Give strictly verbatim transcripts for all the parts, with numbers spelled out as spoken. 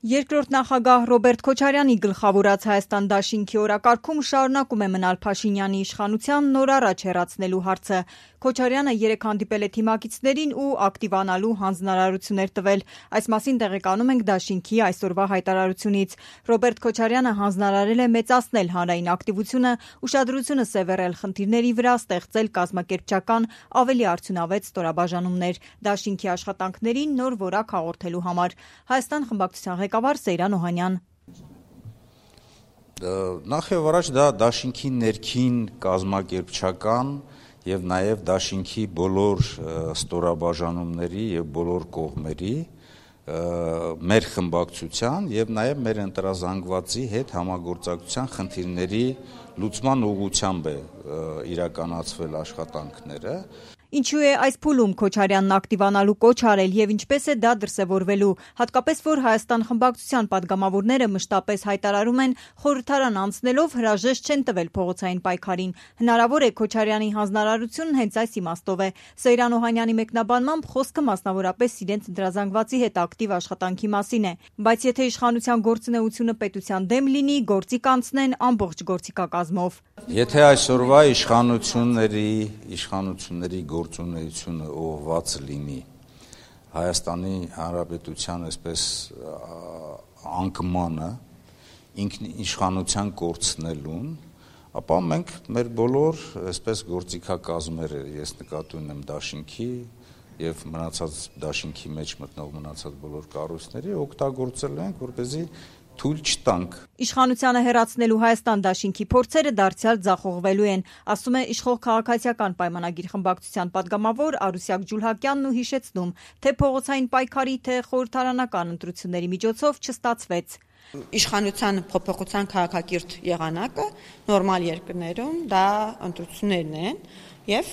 Երկրորդ նախագահ Ռոբերտ Քոչարյանի գլխավորած Հայաստան դաշինքի օրակարգում շարունակում է մնալ Փաշինյանի իշխանության նոր առաջ հեռացնելու հարցը։ Քոչարյանը երեկ հանդիպել է թիմակիցներին ու ակտիվանալու հանձնարարություններ տվել։ Այս մասին տեղեկանում ենք դաշինքի այսօրվա հայտարարությունից։ Ռոբերտ Քոչարյանը հանձնարարել է մեծացնել հանրային ակտիվությունը, ուշադրությունը սևեռել խնդիրների վրա, ստեղծել կազմակերպչական ավելի արդյունավետ ստորաբաժանումներ, դաշինքի աշխատանքներին նոր որակ հաղորդելու համար։ Հայաստան խմբակցության ղեկավար Սեյրան Օհանյան. Նախ եւ առաջ դա դաշինքի ներքին կազմակերպչական եւ նաեւ դաշինքի բոլոր ստորաբաժանումների եւ բոլոր կողմերի մեր խմբակցության եւ նաեւ մեր ընտրազանգվածի հետ համագործակցության խնդիրների լուծման ուղղությամբ է իրականացվել աշխատանքները։ Ինչու է այս փուլում Քոչարյանն ակտիվանալու կոչ արել եւ ինչպես է դա դրսեւորվելու, հատկապես որ Հայաստան խմբակցության падգամավորները մշտապես հայտարարում են խորհրդարան անցնելով հրաժեշտ չեն տվել փողոցային պայքարին։ Հնարավոր է Քոչարյանի հանձնարարությունն հենց այս իմաստով է։ Սեյրան Օհանյանի մեկնաբանմամբ խոսքը մասնավորապես իրենց ընտրազանգվածի հետ ակտիվ աշխատանքի մասին է, բայց եթե իշխանության գործունեությունը պետության դեմ լինի, գործի կանցնեն ամբողջ գործիքակազմով։ Եթե այսօրվա իշխանությունների իշխանությունների գործունեությունը ուղղված լինի Հայաստանի Հանրապետության այսպես անկմանը, ինքնիշխանության կորցնելուն, ապա մենք մեր բոլոր այսպես գործիքակազմերը, ես նկատի ունեմ դաշինքի եւ մնացած դաշինքի մեջ մտնող մնացած բոլոր կառույցների օգտագործելու ենք, որպեսզի թույլ չտանք։ Իշխանությանը հեռացնելու Հայաստան դաշինքի փորձերը դարձյալ ձախողվելու են, ասում է իշխող քաղաքացիական պայմանագիր խմբակցության падգամավոր Արուսյակ Ջուլհակյանն ու հիշեցնում, թե փողոցային պայքարի, թե խորհրդարանական ընտրությունների միջոցով չստացվեց։ Իշխանության փոփոխության քաղաքակիրթ եղանակը նորմալ երկրներում դա ընտրություններն են եւ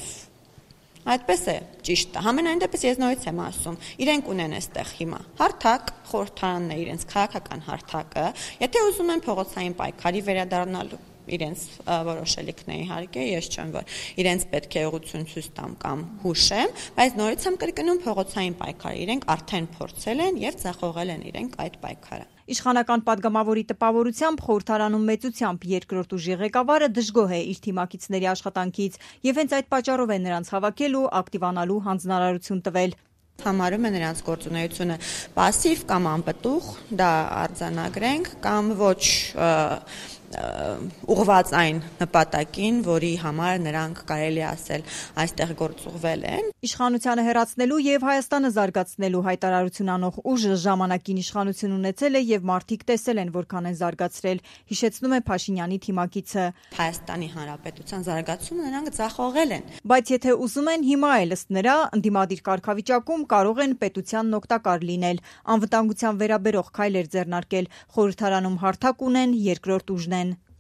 այդպես է ճիշտ է։ Համենայն դեպս ես նորից եմ ասում, իրենք ունեն այստեղ հիմա հարթակ, խորհրդարանն է իրենց քաղաքական հարթակը, եթե ուզում են փողոցային պայքարի վերադառնալու իրենց որոշելիքն է իհարկե, ես չեմ որ իրենց պետք է ուղղություն ցույց տամ կամ հուշեմ, բայց նորից եմ կրկնում փողոցային պայքարը իրենք արդեն փորձել են եւ ձախողել են իրենք այդ պայքարը։ Իշխանական падգամավորի տպավորությամբ խորհրդարանում մեծությամբ երկրորդ ուժի ղեկավարը դժգոհ է իր թիմակիցների աշխատանքից եւ հենց այդ պատճառով է նրանց հավաքել ու ակտիվանալու հանձնարարություն տվել։ Համարում է նրանց գործունեությունը пассив կամ անպտուղ, դա արձանագրենք կամ ոչ ուղղված այն նպատակին, որի համար նրանք կարելի ասել այստեղ գործուղվել են։ Իշխանությանը հեռացնելու եւ Հայաստանը զարգացնելու հայտարարություն անող ուժը ժամանակին իշխանություն ունեցել է եւ մարդիկ տեսել են որքան են զարգացրել, հիշեցնում է Փաշինյանի թիմակիցը։ Հայաստանի Հանրապետության զարգացումը նրանք ձախողել են։ Բայց եթե ուզում են հիմա էլ ըստ նրա ընդդիմադիր կարգավիճակում կարող են պետությանն օգտակար լինել, անվտանգության վերաբերող քայլեր ձեռնարկել, խորհրդարանում հարթակ ունեն, երկրորդ ուժն